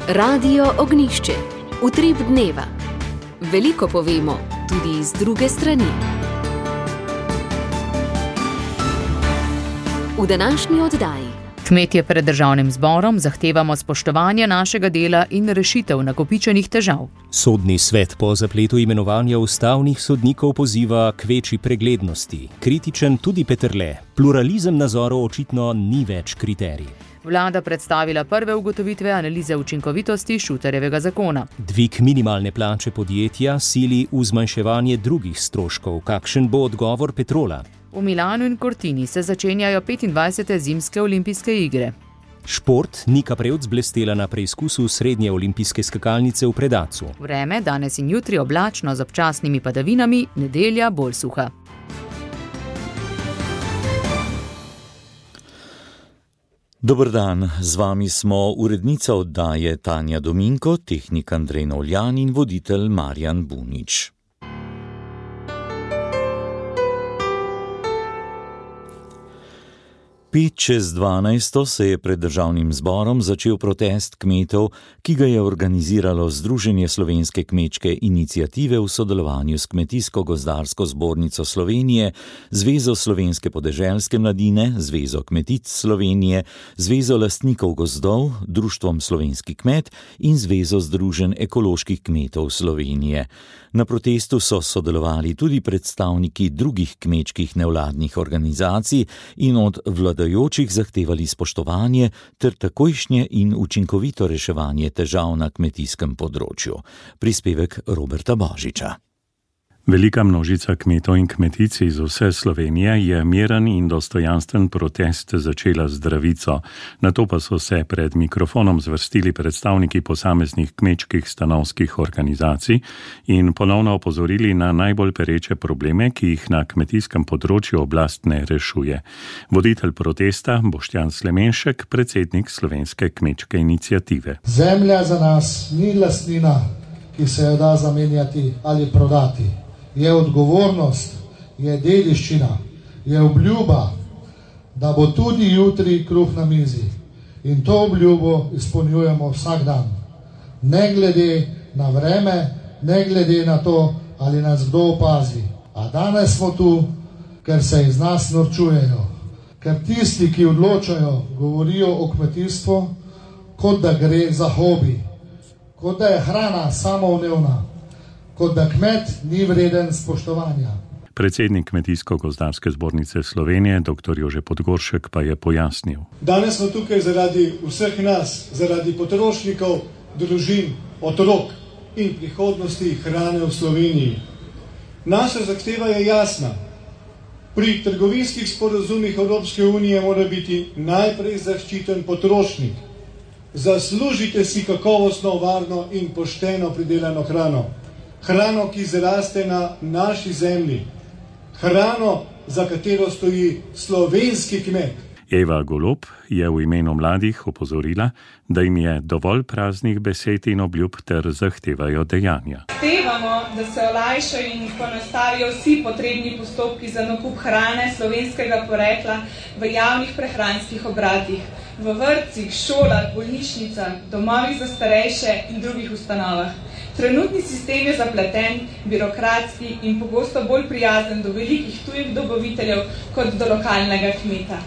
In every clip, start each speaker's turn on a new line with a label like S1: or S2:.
S1: Radio Ognišče, utrip dneva. Veliko povemo, tudi z druge strani. V današnji oddaji.
S2: Kmetje pred državnim zborom zahtevamo spoštovanje našega dela in rešitev nakopičenih težav.
S3: Sodni svet po zapletu imenovanja ustavnih sodnikov poziva k večji preglednosti. Kritičen tudi Peterle. Pluralizem nazorov očitno ni več kriterij.
S2: Vlada predstavila prve ugotovitve analize učinkovitosti Šuterjevega zakona.
S3: Dvig minimalne plače podjetja sili v zmanjševanje drugih stroškov. Kakšen bo odgovor Petrola?
S2: V Milanu in Cortini se začenjajo 25. zimske olimpijske igre.
S3: Šport. Nika Prevc blestela na preizkusu srednje olimpijske skakalnice v Predacu.
S2: Vreme danes in jutri oblačno z občasnimi padavinami, nedelja bolj suha.
S4: Dober dan, z vami smo urednica oddaje Tanja Dominko, tehnik Andrej Novljan in voditelj Marjan Bunič. Pet čez 12 se je pred državnim zborom začel protest kmetov, ki ga je organiziralo Združenje slovenske kmečke iniciative v sodelovanju s Kmetijsko-gozdarsko zbornico Slovenije, Zvezo slovenske podeželske mladine, Zvezo kmetic Slovenije, Zvezo lastnikov gozdov, Društvom slovenski kmet in Zvezo združenj ekoloških kmetov Slovenije. Na protestu so sodelovali tudi predstavniki drugih kmečkih nevladnih organizacij in od vladajočih zahtevali spoštovanje ter takojšnje in učinkovito reševanje težav na kmetijskem področju. Prispevek Roberta Božiča.
S5: Velika množica kmetov in kmetic iz vse Slovenije je miren in dostojanstven protest začela z zdravico. Nato pa so se pred mikrofonom zvrstili predstavniki posameznih kmečkih stanovskih organizacij in ponovno opozorili na najbolj pereče probleme, ki jih na kmetijskem področju oblast ne rešuje. Voditelj protesta Boštjan Slemenšek, predsednik Slovenske kmečke iniciative.
S6: Zemlja za nas ni lastnina, ki se jo da zamenjati ali prodati. Je odgovornost, je dediščina, je obljuba, da bo tudi jutri kruh na mizi. In to obljubo izpolnjujemo vsak dan. Ne glede na vreme, ne glede na to, ali nas kdo opazi. A danes smo tu, ker se iz nas norčujejo. Ker tisti, ki odločajo, govorijo o kmetijstvu, kot da gre za hobi, kot da je hrana samoumevna, kot da kmet ni vreden spoštovanja.
S5: Predsednik Kmetijsko-gozdarske zbornice Slovenije, dr. Jože Podgoršek, pa je pojasnil.
S7: Danes smo tukaj zaradi vseh nas, zaradi potrošnikov, družin, otrok in prihodnosti hrane v Sloveniji. Naša zahteva je jasna. Pri trgovinskih sporazumih Evropske unije mora biti najprej zaščiten potrošnik. Zaslužite si kakovostno, varno in pošteno pridelano hrano. Hrano, ki zraste na naši zemlji. Hrano, za katero stoji slovenski kmet.
S5: Eva Golob je v imenu mladih opozorila, da jim je dovolj praznih besed in obljub ter zahtevajo dejanja.
S8: Zahtevamo, da se olajšajo in poenostavijo vsi potrebni postopki za nakup hrane slovenskega porekla v javnih prehranskih obratih, v vrtcih, šolah, bolnišnicah, domovih za starejše in drugih ustanovah. Trenutni sistem je zapleten, birokratski in pogosto bolj prijazen do velikih tujih dobaviteljev kot do lokalnega kmeta.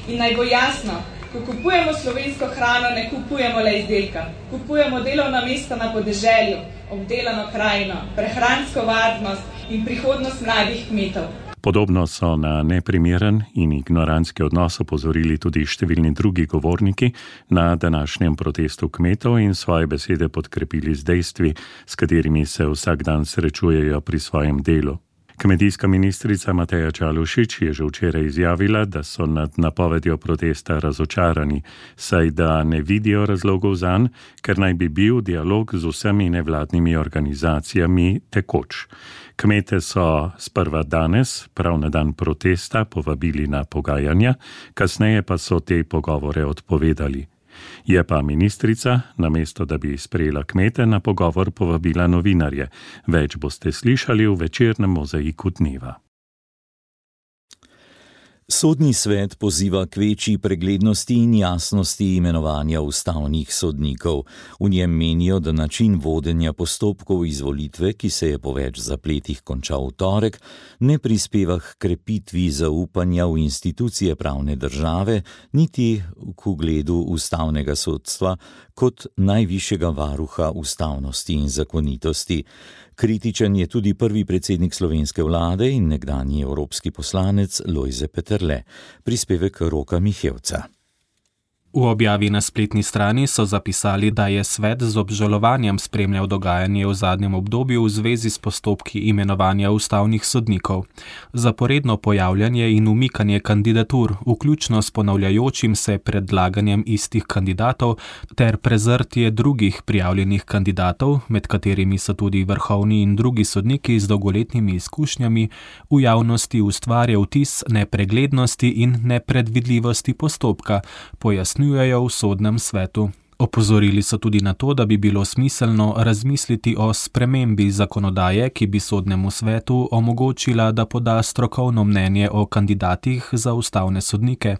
S8: In naj bo jasno, ko kupujemo slovensko hrano, ne kupujemo le izdelka. Kupujemo delovna mesta na podeželju, obdelano krajino, prehransko varnost in prihodnost mladih kmetov.
S5: Podobno so na neprimeren in ignorantski odnos opozorili tudi številni drugi govorniki na današnjem protestu kmetov in svoje besede podkrepili z dejstvi, s katerimi se vsak dan srečujejo pri svojem delu. Kmetijska ministrica Mateja Čalušić je že včeraj izjavila, da so nad napovedjo protesta razočarani, saj da ne vidijo razlogov zanj, ker naj bi bil dialog z vsemi nevladnimi organizacijami tekoč. Kmete so sprva danes, prav na dan protesta, povabili na pogajanja, kasneje pa so te pogovore odpovedali. Je pa ministrica, namesto da bi sprejela kmete, na pogovor povabila novinarje. Več boste slišali v večernem mozaiku dneva.
S4: Sodni svet poziva k večji preglednosti in jasnosti imenovanja ustavnih sodnikov. V njem menijo, da način vodenja postopkov izvolitve, ki se je po več zapletih končal v torek, ne prispeva k krepitvi zaupanja v institucije pravne države, niti k ugledu ustavnega sodstva kot najvišjega varuha ustavnosti in zakonitosti. Kritičen je tudi prvi predsednik slovenske vlade in nekdanji evropski poslanec Lojze Peterle. Prispevek Roka Mihevca.
S9: V objavi na spletni strani so zapisali, da je svet z obžalovanjem spremljal dogajanje v zadnjem obdobju v zvezi s postopki imenovanja ustavnih sodnikov. Zaporedno pojavljanje in umikanje kandidatur, vključno s ponavljajočim se predlaganjem istih kandidatov, ter prezrtje drugih prijavljenih kandidatov, med katerimi so tudi vrhovni in drugi sodniki z dolgoletnimi izkušnjami, v javnosti ustvarja vtis nepreglednosti in nepredvidljivosti postopka, pojasnjujejo v sodnem svetu. Opozorili so tudi na to, da bi bilo smiselno razmisliti o spremembi zakonodaje, ki bi sodnemu svetu omogočila, da poda strokovno mnenje o kandidatih za ustavne sodnike.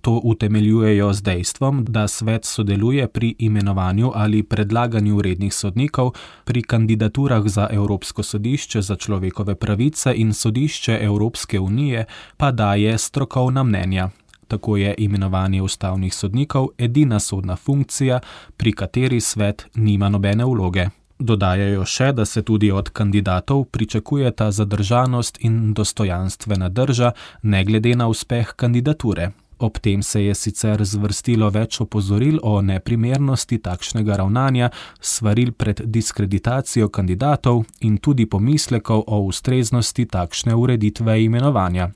S9: To utemeljujejo z dejstvom, da svet sodeluje pri imenovanju ali predlaganju rednih sodnikov, pri kandidaturah za Evropsko sodišče za človekove pravice in sodišče Evropske unije pa daje strokovna mnenja. Tako je imenovanje ustavnih sodnikov edina sodna funkcija, pri kateri svet nima nobene vloge. Dodajajo še, da se tudi od kandidatov pričakujeta zadržanost in dostojanstvena drža, ne glede na uspeh kandidature. Ob tem se je sicer zvrstilo več opozoril o neprimernosti takšnega ravnanja, svaril pred diskreditacijo kandidatov in tudi pomislekov o ustreznosti takšne ureditve imenovanja.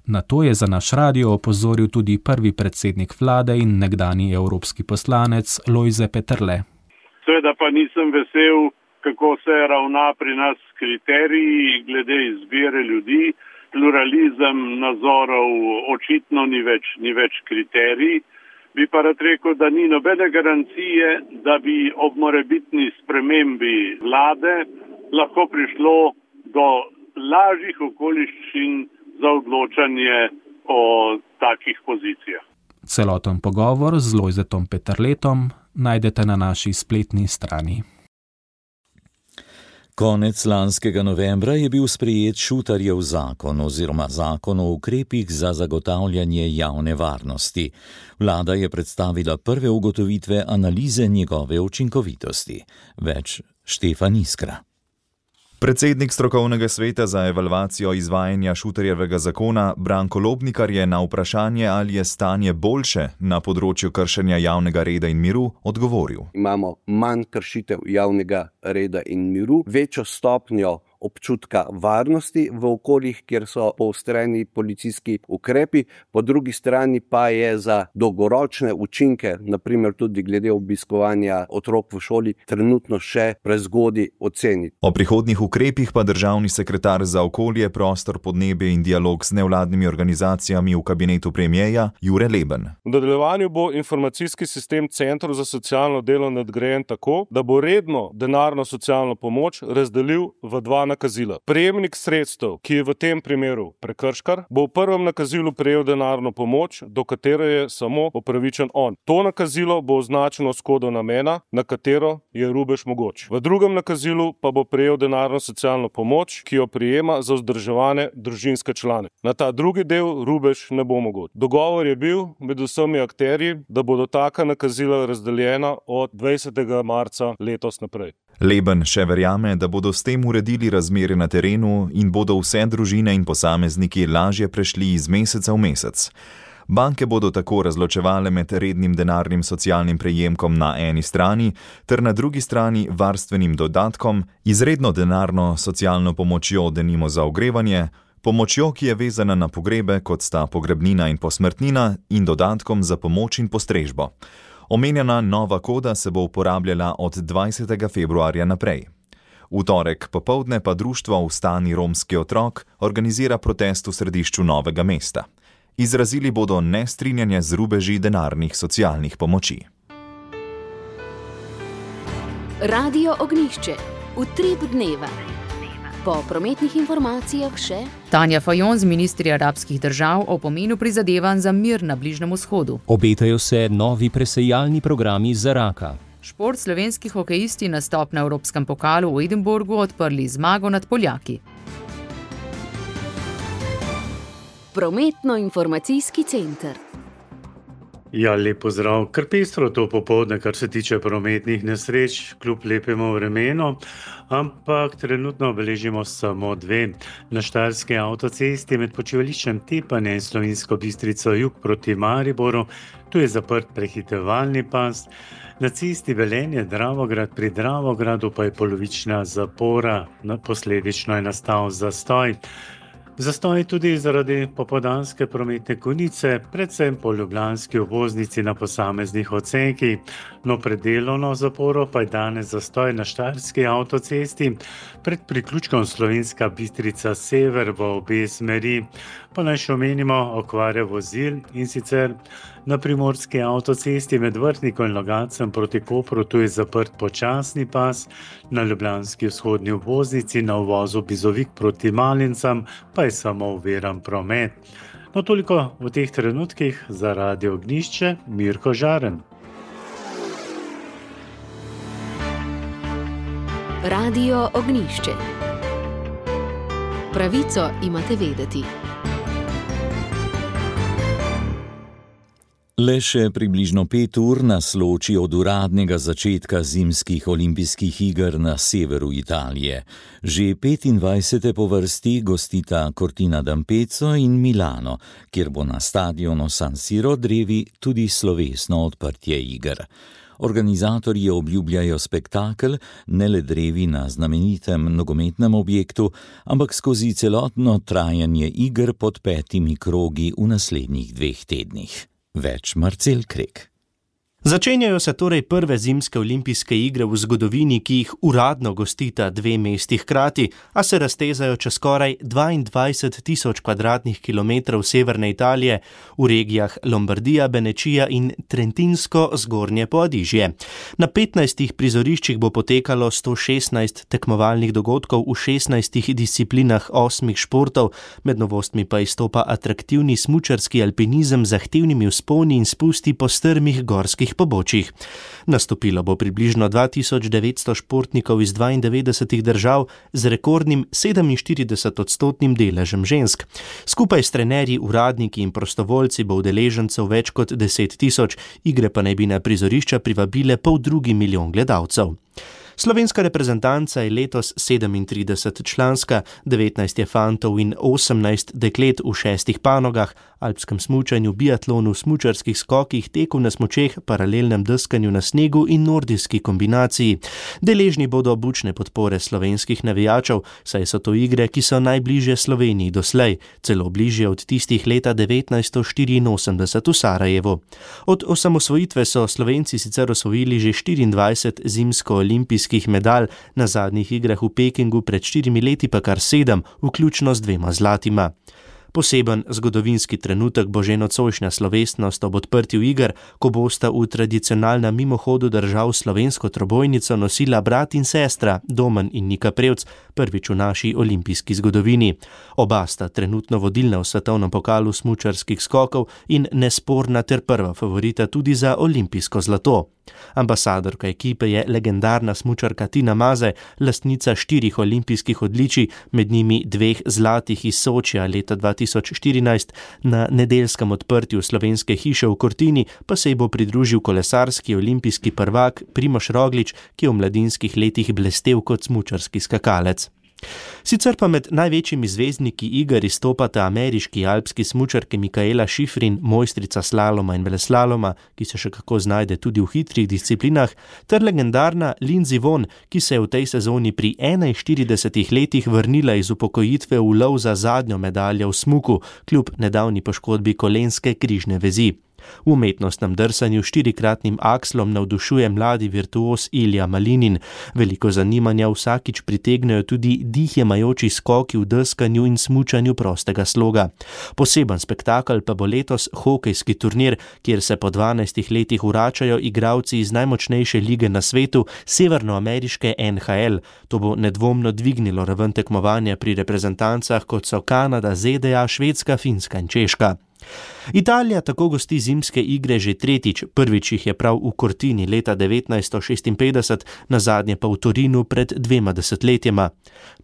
S9: Na to je za naš radio opozoril tudi prvi predsednik vlade in nekdanji evropski poslanec Lojze Peterle.
S10: Seveda pa nisem vesel, kako se ravna pri nas s kriteriji glede izbire ljudi. Pluralizem nazorov očitno ni več kriterij. Bi pa rad rekel, da ni nobene garancije, da bi ob morebitni spremembi vlade lahko prišlo do lažjih okoliščin za odločanje o takih pozicijah.
S9: Celoten pogovor z Lojzetom Peterletom najdete na naši spletni strani.
S4: Konec lanskega novembra je bil sprejet Šutarjev zakon oziroma zakon o ukrepih za zagotavljanje javne varnosti. Vlada je predstavila prve ugotovitve analize njegove učinkovitosti. Več Štefan Iskra.
S11: Predsednik strokovnega sveta za evalvacijo izvajanja Šutarjevega zakona Branko Lobnikar je na vprašanje, ali je stanje boljše na področju kršenja javnega reda in miru, odgovoril.
S12: Imamo manj kršitev javnega reda in miru, večjo stopnjo občutka varnosti v okoljih, kjer so poostreni policijski ukrepi, po drugi strani pa je za dolgoročne učinke, naprimer tudi glede obiskovanja otrok v šoli, trenutno še prezgodaj oceniti.
S11: O prihodnjih ukrepih pa državni sekretar za okolje, prostor, podnebje in dialog z nevladnimi organizacijami v kabinetu premierja Jure Leben.
S13: V nadaljevanju bo informacijski sistem Centrov za socialno delo nadgrajen tako, da bo redno denarno socialno pomoč razdelil v dva nakazila. Prejemnik sredstev, ki je v tem primeru prekrškar, bo v prvem nakazilu prejel denarno pomoč, do katere je samo upravičen on. To nakazilo bo označeno s kodom namena, na katero je rubež mogoč. V drugem nakazilu pa bo prejel denarno socialno pomoč, ki jo prejema za vzdrževane družinske člane. Na ta drugi del rubež ne bo mogoč. Dogovor je bil med vsemi akterji, da bodo taka nakazila razdeljena od 20. marca letos naprej.
S11: Leben še verjame, da bodo s tem uredili razmere na terenu in bodo vse družine in posamezniki lažje prešli iz meseca v mesec. Banke bodo tako razločevale med rednim denarnim socialnim prejemkom na eni strani ter na drugi strani varstvenim dodatkom, izredno denarno socialno pomočjo denimo za ogrevanje, pomočjo, ki je vezana na pogrebe, kot sta pogrebnina in posmrtnina, in dodatkom za pomoč in postrežbo. Omenjena nova koda se bo uporabljala od 20. februarja naprej. V torek popoldne pa društvo Vstani romski otrok organizira protest v središču Novega mesta. Izrazili bodo nestrinjanje z rubeži denarnih socialnih pomoči.
S1: Radio Ognjišče. Utrip dneva. Po prometnih informacijah še
S2: Tanja Fajon z ministri arabskih držav o pomenu prizadevanj za mir na Bližnjem vzhodu.
S3: Obetajo se novi presejalni programi za raka.
S2: Šport, slovenski hokejisti nastop na Evropskem pokalu v Edinburgu odprli zmago nad Poljaki.
S1: Prometno-informacijski center.
S14: Ja, lep pozdrav. Kar pestro to popoldne, kar se tiče prometnih nesreč, kljub lepemu vremenu, ampak trenutno beležimo samo dve. Na Štajerski avtocesti med počivališčem Tepanje in Slovensko Bistrico jug proti Mariboru, tu je zaprt prehitevalni pas. Na cesti Velenje-Dravograd pri Dravogradu pa je polovična zapora, posledično je nastal zastoj. Zastoj tudi zaradi popoldanske prometne konice, predvsem po ljubljanski obvoznici na posameznih odsekih. No, pred delovno zaporo pa je danes zastoj na Štajerski avtocesti pred priključkom Slovenska Bistrica sever v obe smeri. Pa naj še omenimo okvare vozil, in sicer na Primorski avtocesti med Vrhnikom in Logatcem proti Kopru, tu je zaprt počasni pas, na ljubljanski vzhodni obvoznici na uvozu Bizovik proti Malincam pa je samo oviran promet. No, toliko v teh trenutkih za Radio Ognjišče, Mirko Žaren.
S1: Radio Ognjišče. Pravico imate vedeti.
S4: Le še približno 5 ur nas loči od uradnega začetka zimskih olimpijskih iger na severu Italije. Že 25. po vrsti gostita Cortina d'Ampezzo in Milano, kjer bo na stadionu San Siro drevi tudi slovesno odprtje iger. Organizatorji obljubljajo spektakel, ne le drevi na znamenitem nogometnem objektu, ampak skozi celotno trajanje iger pod 5 krogi v naslednjih 2 tednih. Več Marcel Krek.
S15: Začenjajo se torej prve zimske olimpijske igre v zgodovini, ki jih uradno gostita 2 mesti hkrati, a se raztezajo čez skoraj 22.000 kvadratnih kilometrov severne Italije v regijah Lombardija, Benečija in Trentinsko zgornje Poadižje. Na 15 prizoriščih bo potekalo 116 tekmovalnih dogodkov v 16 disciplinah 8 športov, med novostmi pa izstopa atraktivni smučarski alpinizem z zahtevnimi vzponi in spusti po strmih gorskih pobočjih. Nastopilo bo približno 2900 športnikov iz 92 držav z rekordnim 47% deležem žensk. Skupaj s trenerji, uradniki in prostovoljci bo udeležencev več kot 10.000, igre pa naj bi na prizorišča privabile 500 milijon gledalcev. Slovenska reprezentanca je letos 37 članska, 19 je fantov in 18 deklet v 6 panogah, alpskem smučanju, biatlonu, smučarskih skokih, teku na smučeh, paralelnem deskanju na snegu in nordijski kombinaciji. Deležni bodo bučne podpore slovenskih navijačev, saj so to igre, ki so najbližje Sloveniji doslej, celo bližje od tistih leta 1984 v Sarajevu. Od osamosvojitve so Slovenci sicer osvojili že 24 zimsko-olimpijskih medalj, na zadnjih igrah v Pekingu pred 4 leti pa kar 7, vključno z 2 zlatima. Poseben zgodovinski trenutek bo že nocojšnja slovesnost ob odprtju iger, ko bosta v tradicionalnem mimohodu držav slovensko trobojnico nosila brat in sestra Domen in Nika Prevc, prvič v naši olimpijski zgodovini. Oba sta trenutno vodilna v svetovnem pokalu smučarskih skokov in nesporna ter prva favorita tudi za olimpijsko zlato. Ambasadorka ekipe je legendarna smučarka Tina Maze, lastnica 4 olimpijskih odličij, med njimi 2 zlatih iz Sočija leta 2014. Na nedeljskem odprtju slovenske hiše v Cortini pa se ji bo pridružil kolesarski olimpijski prvak Primož Roglič, ki je v mladinskih letih blestel kot smučarski skakalec. Sicer pa med največjimi zvezdniki iger izstopata ameriški alpski smučarki Mikaela Schifrin, mojstrica slaloma in veleslaloma, ki se še kako znajde tudi v hitrih disciplinah, ter legendarna Lindsey Vonn, ki se je v tej sezoni pri 41 letih vrnila iz upokojitve v lov za zadnjo medaljo v smuku, kljub nedavni poškodbi kolenske križne vezi. V umetnostnem drsanju 4-kratnim akslom navdušuje mladi virtuos Ilja Malinin. Veliko zanimanja vsakič pritegnejo tudi dihjemajoči skoki v deskanju in smučanju prostega sloga. Poseben spektakel pa bo letos hokejski turnir, kjer se po 12 letih vračajo igralci iz najmočnejše lige na svetu, severnoameriške NHL. To bo nedvomno dvignilo raven tekmovanja pri reprezentancah, kot so Kanada, ZDA, Švedska, Finska in Češka. Italija tako gosti zimske igre že tretjič, prvič jih je prav v Cortini leta 1956, nazadnje pa v Torinu pred 2 desetletjema.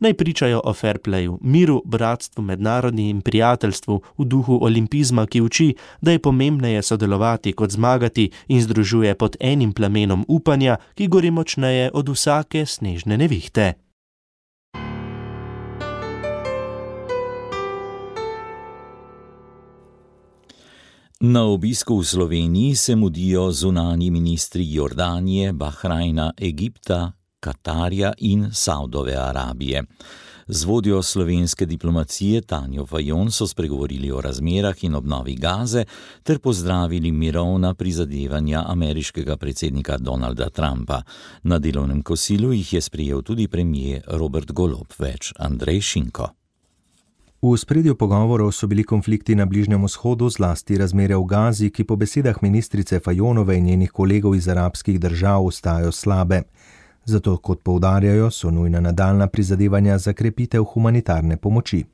S15: Naj pričajo o fair playu, miru, bratstvu, mednarodni in prijateljstvu v duhu olimpizma, ki uči, da je pomembneje sodelovati kot zmagati in združuje pod enim plamenom upanja, ki gori močneje od vsake snežne nevihte.
S4: Na obisku v Sloveniji se mudijo zunanji ministri Jordanije, Bahrajna, Egipta, Katarja in Saudove Arabije. Z vodjo slovenske diplomacije Tanjo Fajon so spregovorili o razmerah in obnovi Gaze ter pozdravili mirovna prizadevanja ameriškega predsednika Donalda Trumpa. Na delovnem kosilu jih je sprejel tudi premier Robert Golob, več Andrej Šinko.
S16: V ospredju pogovorov so bili konflikti na Bližnjem vzhodu, zlasti razmere v Gazi, ki po besedah ministrice Fajonove in njenih kolegov iz arabskih držav ostajajo slabe. Zato, kot poudarjajo, so nujna nadaljnja prizadevanja za krepitev humanitarne pomoči.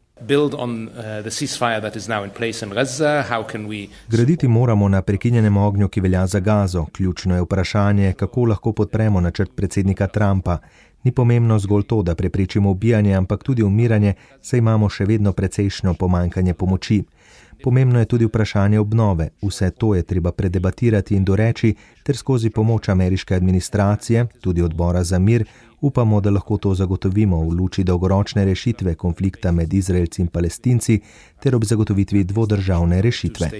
S16: Graditi moramo na prekinjenem ognju, ki velja za Gazo. Ključno je vprašanje, kako lahko podpremo načrt predsednika Trumpa. Ni pomembno zgolj to, da preprečimo ubijanje, ampak tudi umiranje, saj imamo še vedno precejšnjo pomanjkanje pomoči. Pomembno je tudi vprašanje obnove. Vse to je treba predebatirati in doreči, ter skozi pomoč ameriške administracije, tudi odbora za mir, upamo, da lahko to zagotovimo v luči dolgoročne rešitve konflikta med Izraelci in Palestinci ter ob zagotovitvi dvodržavne rešitve.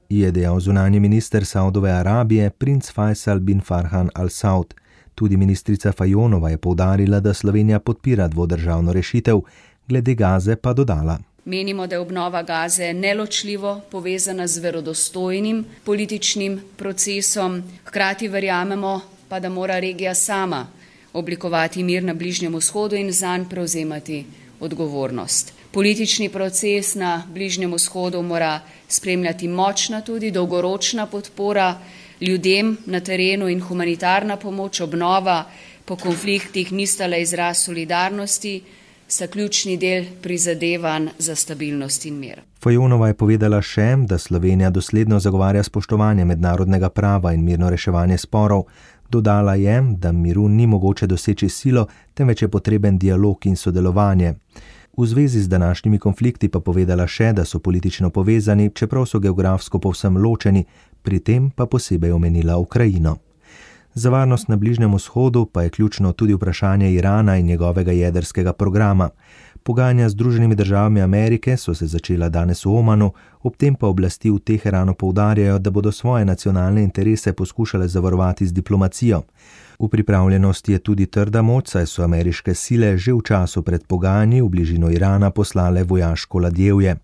S16: Je dejal zunanji minister Saudove Arabije, princ Faisal bin Farhan Al Saud. Tudi ministrica Fajonova je poudarila, da Slovenija podpira dvodržavno rešitev, glede Gaze pa dodala.
S17: Menimo, da je obnova Gaze neločljivo povezana z verodostojnim političnim procesom. Hkrati verjamemo pa, da mora regija sama oblikovati mir na Bližnjem vzhodu in zanj prevzemati odgovornost. Politični proces na Bližnjem vzhodu mora spremljati močna tudi dolgoročna podpora ljudem na terenu in humanitarna pomoč, obnova po konfliktih nista le izraz solidarnosti, sta ključni del prizadevanj za stabilnost in mir.
S16: Fajonova je povedala še, da Slovenija dosledno zagovarja spoštovanje mednarodnega prava in mirno reševanje sporov. Dodala je, da miru ni mogoče doseči silo, temveč je potreben dialog in sodelovanje. V zvezi z današnjimi konflikti pa povedala še, da so politično povezani, čeprav so geografsko povsem ločeni, pri tem pa posebej omenila Ukrajino. Za varnost na Bližnjem vzhodu pa je ključno tudi vprašanje Irana in njegovega jedrskega programa. Pogajanja z Združenimi državami Amerike so se začela danes v Omanu, ob tem pa oblasti v Teheranu poudarjajo, da bodo svoje nacionalne interese poskušale zavarovati z diplomacijo. V pripravljenosti je tudi trda moč, saj so ameriške sile že v času pred pogajanji v bližino Irana poslale vojaško ladjevje.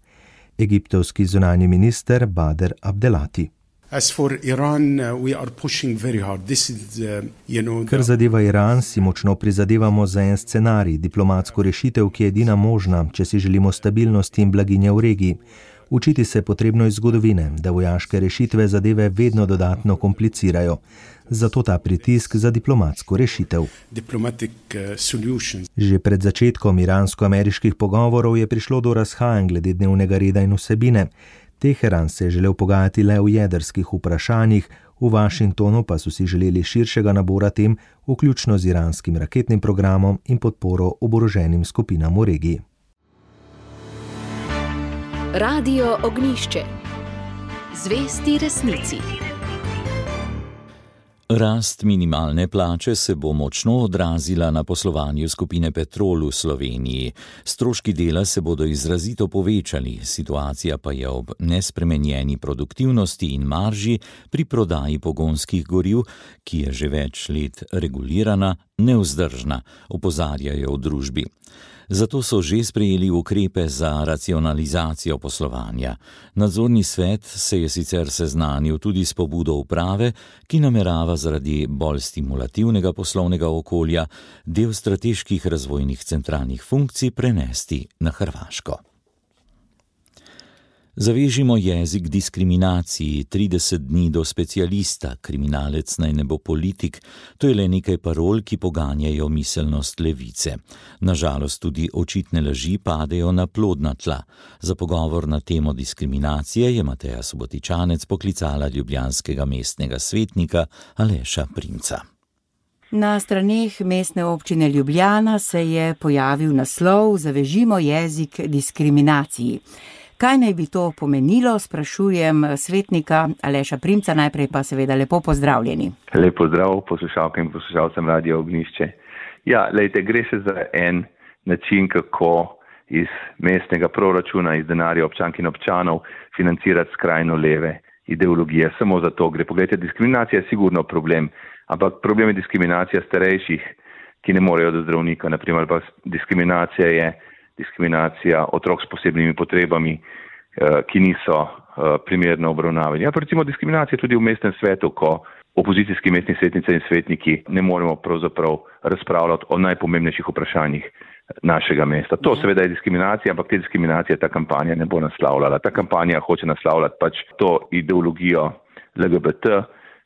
S16: Egiptovski zunanji minister Bader Abdelati. Kar zadeva Iran, si močno prizadevamo za en scenarij, diplomatsko rešitev, ki je edina možna, če si želimo stabilnosti in blaginje v regiji. Učiti se je potrebno iz zgodovine, da vojaške rešitve zadeve vedno dodatno komplicirajo. Zato ta pritisk za diplomatsko rešitev. Že pred začetkom iransko-ameriških pogovorov je prišlo do razhajanj glede dnevnega reda in vsebine. Teheran se je želel pogajati le o jedrskih vprašanjih, v Washingtonu pa so si želeli širšega nabora tem, vključno z iranskim raketnim programom in podporo oboroženim skupinam v regiji.
S1: Radio Ognjišče. Zvesti resnici.
S4: Rast minimalne plače se bo močno odrazila na poslovanju skupine Petrol v Sloveniji. Stroški dela se bodo izrazito povečali, situacija pa je ob nespremenjeni produktivnosti in marži pri prodaji pogonskih goriv, ki je že več let regulirana, nevzdržna, opozarjajo v družbi. Zato so že sprejeli ukrepe za racionalizacijo poslovanja. Nadzorni svet se je sicer seznanil tudi s pobudo uprave, ki namerava zaradi bolj stimulativnega poslovnega okolja del strateških razvojnih centralnih funkcij prenesti na Hrvaško. Zavežimo jezik diskriminaciji, 30 dni do specialista, kriminalec naj ne bo politik, to je le nekaj parol, ki poganjajo miselnost levice. Nažalost tudi očitne laži padejo na plodna tla. Za pogovor na temo diskriminacije je Mateja Subotičanec poklicala ljubljanskega mestnega svetnika Aleša Primca.
S18: Na straneh mestne občine Ljubljana se je pojavil naslov Zavežimo jezik diskriminaciji. Kaj naj bi to pomenilo, sprašujem svetnika Aleša Primca, najprej pa seveda lepo pozdravljeni.
S19: Lep pozdrav poslušalkam in poslušalcem Radia Ognjišče. Ja, lejte, gre se za en način, kako iz mestnega proračuna, iz denarja občank in občanov financirati skrajno leve ideologije. Samo za to gre. Poglejte, diskriminacija je sigurno problem, ampak problem je diskriminacija starejših, ki ne morejo do zdravnika, naprimer, pa diskriminacija je diskriminacija otrok s posebnimi potrebami, ki niso primerno obravnavani. Ja, pa recimo diskriminacija tudi v mestnem svetu, ko opozicijski mestni svetnice in svetniki ne moremo pravzaprav razpravljati o najpomembnejših vprašanjih našega mesta. To seveda je diskriminacija, ampak te diskriminacije ta kampanja ne bo naslavljala. Ta kampanja hoče naslavljati pač to ideologijo LGBT,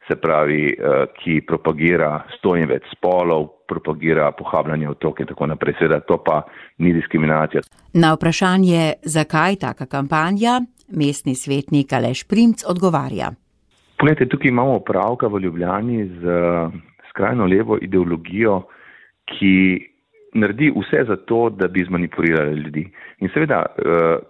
S19: se pravi, ki propagira 100 in več spolov, propagira pohabljanje otrok in tako naprej. Seveda to pa ni diskriminacija.
S18: Na vprašanje, zakaj taka kampanja, mestni svetnik Aleš Primc odgovarja.
S19: Poglejte, tukaj imamo opravka v Ljubljani z skrajno levo ideologijo, ki naredi vse za to, da bi zmanipulirali ljudi. In seveda,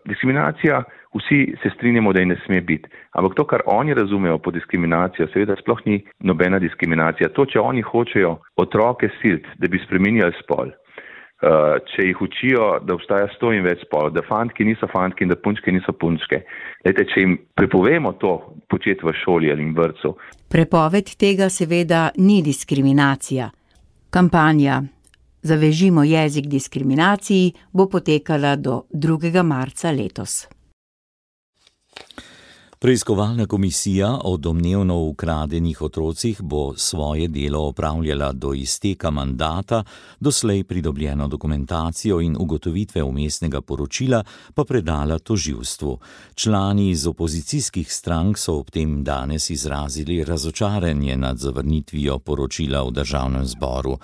S19: diskriminacija, vsi se strinjamo, da ji ne sme biti. Ampak to, kar oni razumejo po diskriminacijo, seveda sploh ni nobena diskriminacija. To, če oni hočejo otroke siliti, da bi spreminjali spol, če jih učijo, da obstaja 100 in več spolov, da fantki niso fantki in da punčke niso punčke. Lejte, če jim prepovemo to početi v šoli ali v vrtcu.
S18: Prepoved tega seveda ni diskriminacija. Kampanja Zavežimo jezik diskriminaciji bo potekala do 2. marca letos.
S4: Preiskovalna komisija o domnevno ukradenih otrocih bo svoje delo opravljala do izteka mandata, doslej pridobljeno dokumentacijo in ugotovitve vmesnega poročila pa predala tožilstvu. Člani iz opozicijskih strank so ob tem danes izrazili razočaranje nad zavrnitvijo poročila v Državnem zboru.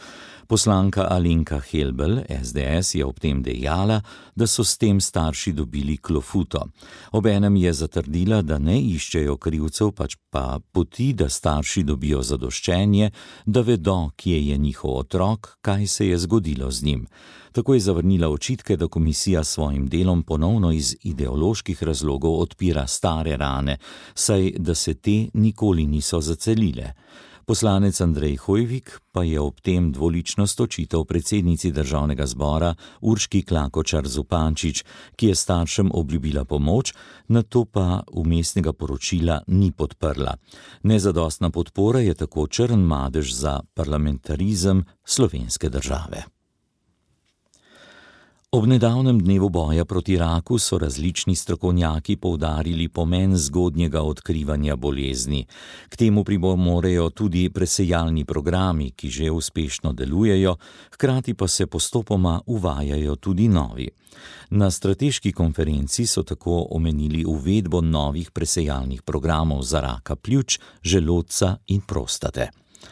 S4: Poslanka Alenka Helbl, SDS, je ob tem dejala, da so s tem starši dobili klofuto. Obenem je zatrdila, da ne iščejo krivcev, pač pa poti, da starši dobijo zadoščenje, da vedo, kje je njihov otrok, kaj se je zgodilo z njim. Tako je zavrnila očitke, da komisija s svojim delom ponovno iz ideoloških razlogov odpira stare rane, saj da se te nikoli niso zacelile. Poslanec Andrej Hojvik pa je ob tem dvoličnost očital predsednici Državnega zbora Urški Klakočar Zupančič, ki je staršem obljubila pomoč, nato pa vmesnega poročila ni podprla. Nezadostna podpora je tako črn madež za parlamentarizem slovenske države. Ob nedavnem dnevu boja proti raku so različni strokovnjaki poudarili pomen zgodnjega odkrivanja bolezni. K temu pripomorejo tudi presejalni programi, ki že uspešno delujejo, hkrati pa se postopoma uvajajo tudi novi. Na strateški konferenci so tako omenili uvedbo novih presejalnih programov za raka pljuč, želodca in prostate.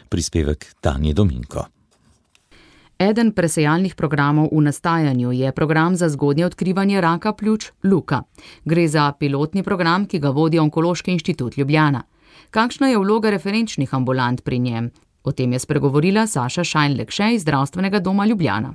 S4: Prispevek Tanje Dominko.
S2: Eden presejalnih programov v nastajanju je program za zgodnje odkrivanje raka pljuč Luka. Gre za pilotni program, ki ga vodi Onkološki inštitut Ljubljana. Kakšna je vloga referenčnih ambulant pri njem? O tem je spregovorila Saša Šajn-Lekše iz Zdravstvenega doma Ljubljana.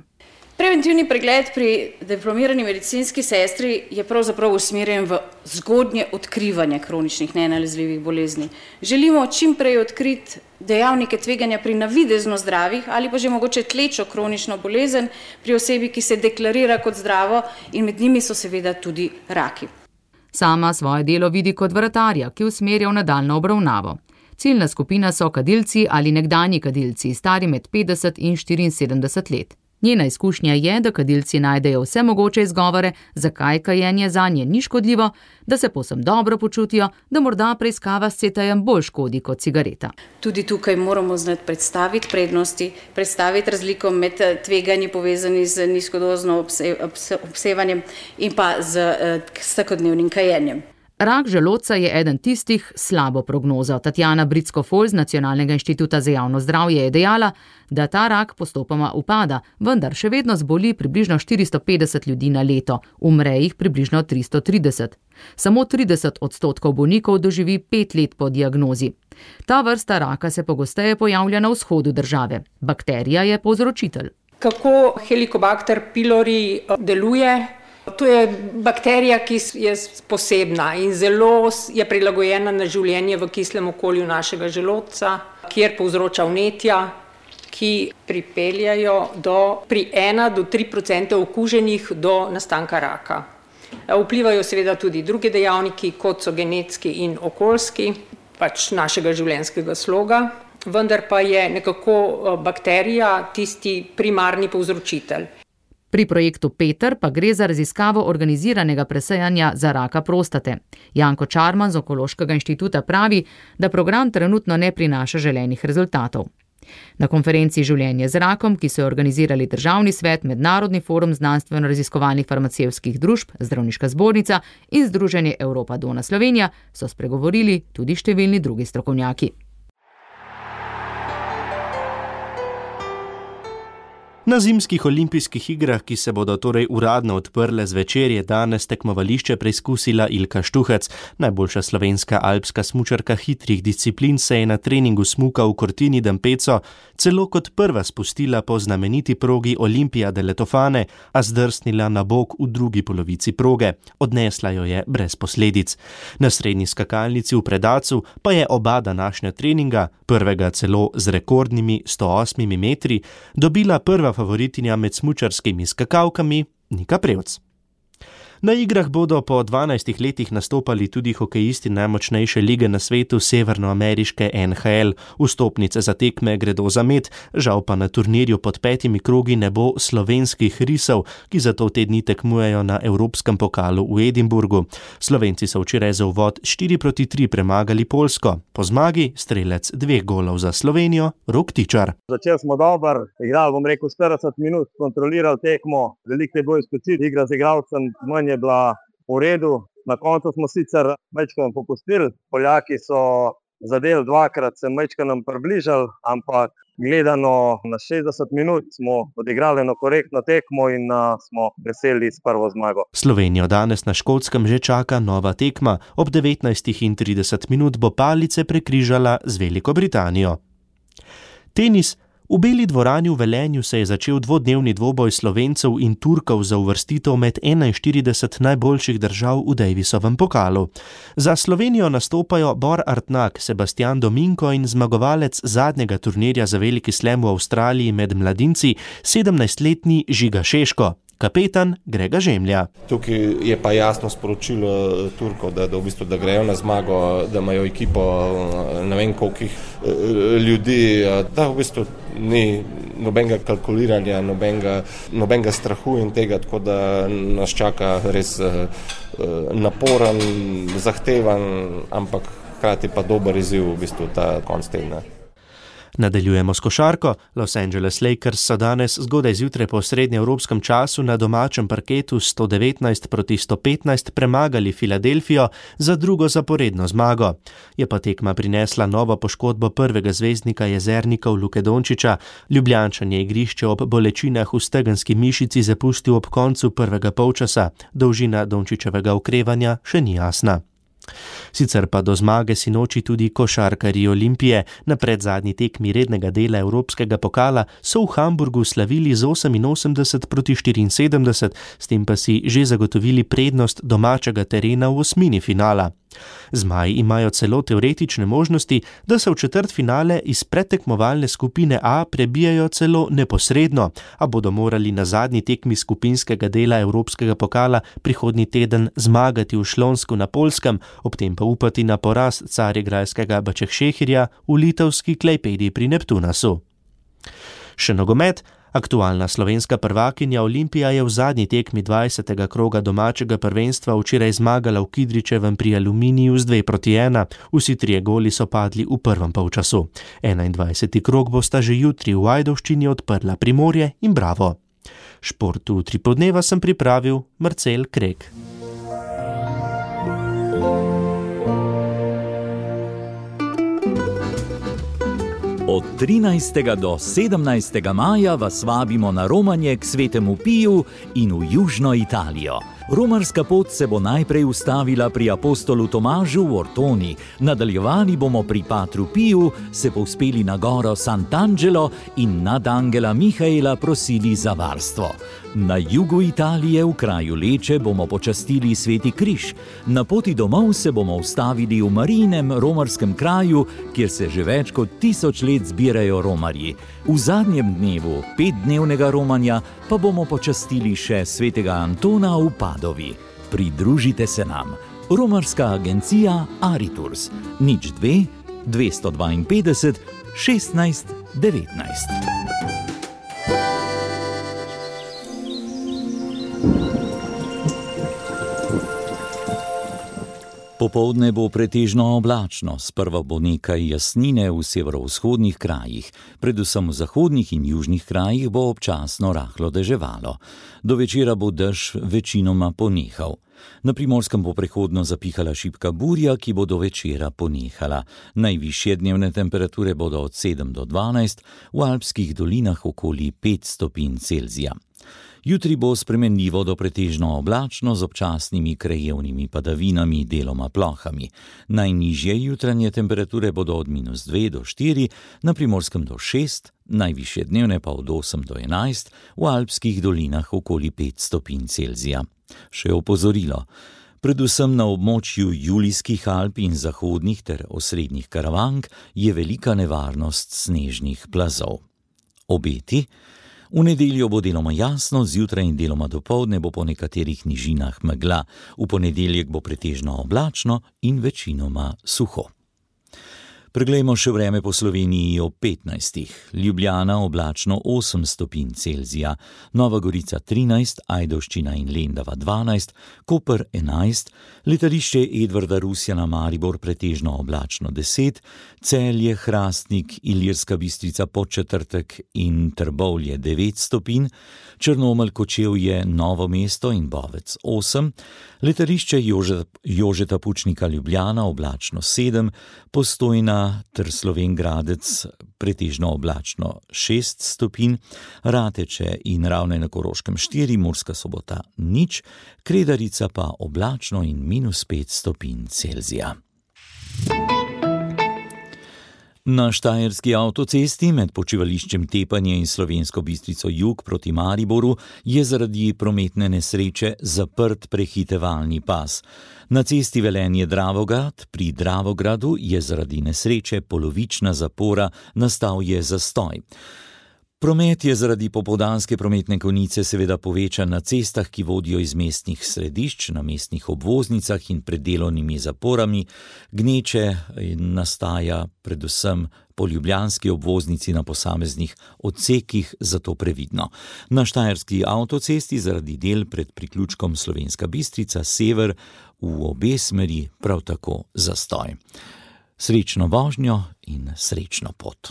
S20: Preventivni pregled pri diplomirani medicinski sestri je pravzaprav usmerjen v zgodnje odkrivanje kroničnih nenalezljivih bolezni. Želimo čim prej odkriti dejavnike tveganja pri navidezno zdravih ali pa že mogoče tlečo kronično bolezen pri osebi, ki se deklarira kot zdravo, in med njimi so seveda tudi raki.
S2: Sama svoje delo vidi kot vratarja, ki usmerja v nadaljnjo obravnavo. Ciljna skupina so kadilci ali nekdanji kadilci, stari med 50 in 74 let. Njena izkušnja je, da kadilci najdejo vse mogoče izgovore, zakaj kajenje zanje ni škodljivo, da se povsem dobro počutijo, da morda preiskava s CT-jem bolj škodi kot cigareta.
S20: Tudi tukaj moramo znati predstaviti prednosti, predstaviti razliko med tveganji povezani z nizkodozno obsevanjem in pa z vsakodnevnim kajenjem.
S2: Rak želodca je eden tistih s slabo prognozo. Tatjana Britsko-Fol z Nacionalnega inštituta za javno zdravje je dejala, da ta rak postopoma upada, vendar še vedno zboli približno 450 ljudi na leto, umre jih približno 330. Samo 30% bolnikov doživi 5 let po diagnozi. Ta vrsta raka se pogosteje pojavlja na vzhodu države. Bakterija je povzročitelj.
S21: Kako Helicobacter pylori deluje? To je bakterija, ki je posebna in zelo je prilagojena na življenje v kislem okolju našega želodca, kjer povzroča vnetja, ki pripeljajo pri 1 do 3% okuženih do nastanka raka. Vplivajo seveda tudi drugi dejavniki, kot so genetski in okoljski, pač našega življenjskega sloga, vendar pa je nekako bakterija tisti primarni povzročitelj.
S2: Pri projektu Peter pa gre za raziskavo organiziranega presejanja za raka prostate. Janko Čarman z Onkološkega inštituta pravi, da program trenutno ne prinaša želenih rezultatov. Na konferenci Življenje z rakom, ki so jo organizirali Državni svet, Mednarodni forum znanstveno-raziskovalnih farmacevtskih družb, Zdravniška zbornica in Združenje Evropa Dona Slovenija, so spregovorili tudi številni drugi strokovnjaki.
S15: Na zimskih olimpijskih igrah, ki se bodo torej uradno odprle zvečer, je danes tekmovališče preizkusila Ilka Štuhec. Najboljša slovenska alpska smučarka hitrih disciplin se je na treningu smuka v Cortini d'Ampezzo celo kot prva spustila po znameniti progi Olimpija delle Tofane, a zdrsnila na bok v drugi polovici proge. Odnesla jo je brez posledic. Na srednji skakalnici v Predacu pa je oba današnja treninga, prvega celo z rekordnimi 108 metri, dobila prva favoritinja med smučarskimi skakalkami Nika Prevc. Na igrah bodo po 12 letih nastopali tudi hokejisti najmočnejše lige na svetu, severnoameriške NHL. Vstopnice za tekme gredo za med, žal pa na turnirju pod 5 krogi ne bo slovenskih risov, ki zato te dni tekmujejo na Evropskem pokalu v Edinburgu. Slovenci so včeraj za uvod 4-3 premagali Poljsko. Po zmagi strelec 2 golov za Slovenijo, Rok Tičar.
S22: Začeli smo dobro, igrali 40 minut, kontrolirali tekmo, veliko je bilo izpočit, igra z igralcem manj je bila v redu. Na koncu smo sicer majčkeno popustili, Poljaki so zadeli 2-krat, se majčkeno približali, ampak gledano na 60 minut smo odigrali eno korektno tekmo in smo veseli s prvo zmago.
S15: Slovenijo danes na Škotskem že čaka nova tekma. Ob 19:30 minut bo palice prekrižala z Veliko Britanijo. Tenis. V Beli dvorani v Velenju se je začel dvodnevni dvoboj Slovencev in Turkov za uvrstitev med 41 najboljših držav v Davisovem pokalu. Za Slovenijo nastopajo Bor Artnak, Sebastian Dominko in zmagovalec zadnjega turnirja za veliki slam v Avstraliji med mladinci, 17-letni Žiga Šeško. Kapetan Grega Žemlja.
S23: Tukaj je pa jasno sporočilo Turkov, da v bistvu da grejo na zmago, da imajo ekipo ne vem kolikih ljudi, da v bistvu ni nobenega kalkuliranja, nobenega strahu in tega, tako da nas čaka res naporen, zahtevan, ampak hkrati pa dober izziv v bistvu ta konc tedna.
S15: Nadaljujemo s košarko. Los Angeles Lakers so danes zgodaj zjutraj po srednjeevropskem času na domačem parketu 119-115 premagali Filadelfijo za drugo zaporedno zmago. Je pa tekma prinesla novo poškodbo prvega zvezdnika Jezernikov Luke Dončića. Ljubljančan je igrišče ob bolečinah v stegenski mišici zapustil ob koncu prvega polčasa. Dolžina Dončićevega okrevanja še ni jasna. Sicer pa do zmage sinoči tudi košarkarji Olimpije. Na predzadnji tekmi rednega dela Evropskega pokala so v Hamburgu slavili z 88-74, s tem pa si že zagotovili prednost domačega terena v osmini finala. Zmaji imajo celo teoretične možnosti, da se v četrtfinale iz predtekmovalne skupine A prebijajo celo neposredno, a bodo morali na zadnji tekmi skupinskega dela Evropskega pokala prihodnji teden zmagati v Šlonsku na Poljskem, ob tem pa upati na poraz carigrajskega Bačehšehirja v litovski Klejpedi pri Neptunasu. Še nogomet. Aktualna slovenska prvakinja Olimpija je v zadnji tekmi 20. kroga domačega prvenstva včeraj zmagala v Kidričevem pri Aluminiju z 2-1. Vsi trije goli so padli v prvem polčasu. 21. krog bosta že jutri v Ajdovščini odprla Primorje in Bravo. Šport v Utrip dneva sem pripravil Marcel Krek.
S4: Od 13. do 17. maja vas vabimo na romanje k Svetemu Piju in v Južno Italijo. Romarska pot se bo najprej ustavila pri apostolu Tomažu v Ortoni, nadaljevali bomo pri Patru Piju, se povzpeli na goro Sant'Angelo in nad angela Mihaela prosili za varstvo. Na jugu Italije v kraju Leče bomo počastili Sveti križ. Na poti domov se bomo ustavili v Marijinem romarskem kraju, kjer se že več kot 1000 let zbirajo romarji. V zadnjem dnevu 5-dnevnega romanja pa bomo počastili še svetega Antona v Padovi. Pridružite se nam. Romarska agencija Ariturs 02 252 16 19. Popoldne bo pretežno oblačno, sprva bo nekaj jasnine v severovzhodnih krajih, predvsem v zahodnih in južnih krajih bo občasno rahlo deževalo. Do večera bo dež večinoma ponehal. Na Primorskem bo prehodno zapihala šibka burja, ki bo do večera ponehala. Najvišje dnevne temperature bodo od 7 do 12, v alpskih dolinah okoli 5 stopinj Celzija. Jutri bo spremenljivo do pretežno oblačno z občasnimi krajevnimi padavinami, deloma plohami. Najnižje jutranje temperature bodo od -2 do 4, na Primorskem do 6, najvišje dnevne pa od 8 do 11, v alpskih dolinah okoli 5 stopinj Celzija. Še opozorilo. Predvsem na območju Julijskih Alp in zahodnih ter osrednjih Karavank je velika nevarnost snežnih plazov. Obeti. V nedeljo bo deloma jasno, zjutraj in deloma dopoldne bo po nekaterih nižinah megla. V ponedeljek bo pretežno oblačno in večinoma suho. Preglejmo še vreme po Sloveniji ob 15. Ljubljana oblačno 8 stopinj Celzija, Nova Gorica 13, Ajdovščina in Lendava 12, Koper 11, letališče Edvarda Rusjana Maribor pretežno oblačno 10, Celje, Hrastnik, Ilirska Bistrica Podčetrtek in Trbovlje 9 stopinj, Črnomelj, Kočevje, Novo mesto in Bovec 8, letališče Jožeta Pučnika Ljubljana oblačno 7, Postojna ter Slovenj Gradec pretežno oblačno 6 stopinj, Rateče in Ravne na Koroškem 4, Murska Sobota 0, Kredarica pa oblačno in -5 stopinj Celzija. Na Štajerski avtocesti med počivališčem Tepanje in Slovensko Bistrico jug proti Mariboru je zaradi prometne nesreče zaprt prehitevalni pas. Na cesti Velenje-Dravograd pri Dravogradu je zaradi nesreče polovična zapora, nastal je zastoj. Promet je zaradi popoldanske prometne konice seveda povečan na cestah, ki vodijo iz mestnih središč, na mestnih obvoznicah in pred delovnimi zaporami. Gneče nastaja predvsem po ljubljanski obvoznici na posameznih odsekih, zato previdno. Na Štajerski avtocesti zaradi del pred priključkom Slovenska Bistrica sever v obe smeri prav tako zastoj. Srečno vožnjo in srečno pot.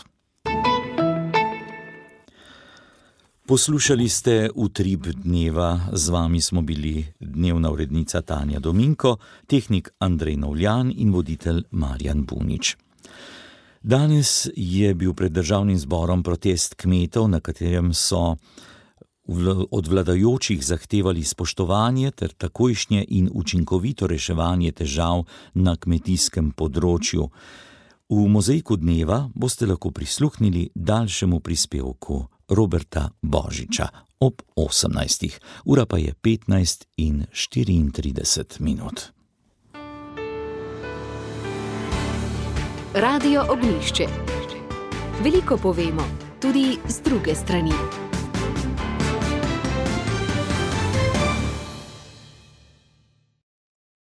S4: Poslušali ste Utrip dneva, z vami smo bili dnevna urednica Tanja Dominko, tehnik Andrej Novljan in voditelj Marjan Bunič. Danes je bil pred državnim zborom protest kmetov, na katerem so od vladajočih zahtevali spoštovanje ter takojšnje in učinkovito reševanje težav na kmetijskem področju. V mozaiku dneva boste lahko prisluhnili daljšemu prispevku Roberta Božiča ob 18. Ura pa je 15:34.
S1: Radio Ognjišče. Veliko povemo, tudi z druge strani.